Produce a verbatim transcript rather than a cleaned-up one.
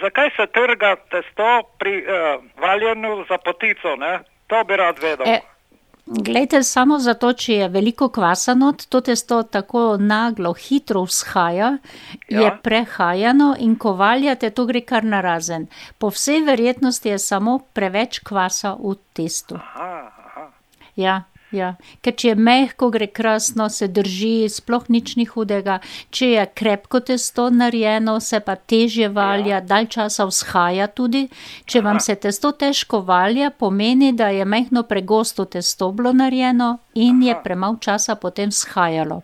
zakaj se trga testo pri uh, valjenju za potico, ne? To bi rad vedel. E, glejte, samo zato, če je veliko kvasa not, to testo tako naglo, hitro vzhaja, Ja. je prehajano in ko valjate, to gre kar narazen. Po vsej verjetnosti je samo preveč kvasa v testu. Aha, aha. Ja, ja. Ker če je mehko, gre krasno, se drži, sploh nič ni hudega. Če je krepko testo narejeno, se pa težje valja, dalj časa vzhaja tudi. Če vam se testo težko valja, pomeni, da je mehno pregosto testo bilo narejeno in je Aha. premalo časa potem vzhajalo.